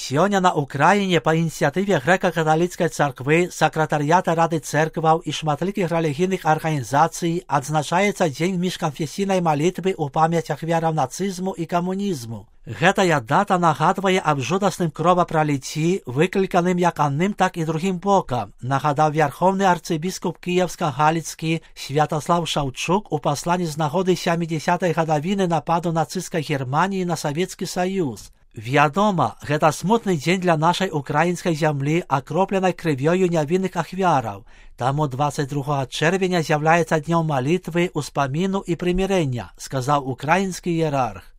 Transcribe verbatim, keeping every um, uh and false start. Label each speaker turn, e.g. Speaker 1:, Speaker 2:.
Speaker 1: Сёння на Украіне па ініцыятыве грэка-каталіцкай царквы, сакратарыята Рады цэркваў і шматлікіх рэлігійных арганізацый адзначаецца дзень міжканфесійнай малітвы ў памяць ахвяраў нацызму і камунізму. Гэтая дата нагадвае аб жудасным кровапраліцці, выкліканым як адным, так і другім бокам, нагадаў вярхоўны арцыбіскуп кіеўска-галіцкі Святаслав Шаўчук у пасланні з нагоды сямідзясятай гадавіны нападу нацысцкай Германіі на Савецкі Саюз. Вядома, гэта смутны дзень для нашай украінскай зямлі, акропленай крывёю нявінных ахвяраў. Таму дваццаць другога чэрвеня з'яўляецца днём малітвы, успаміну і прымірэння, сказаў украінскі іерарх.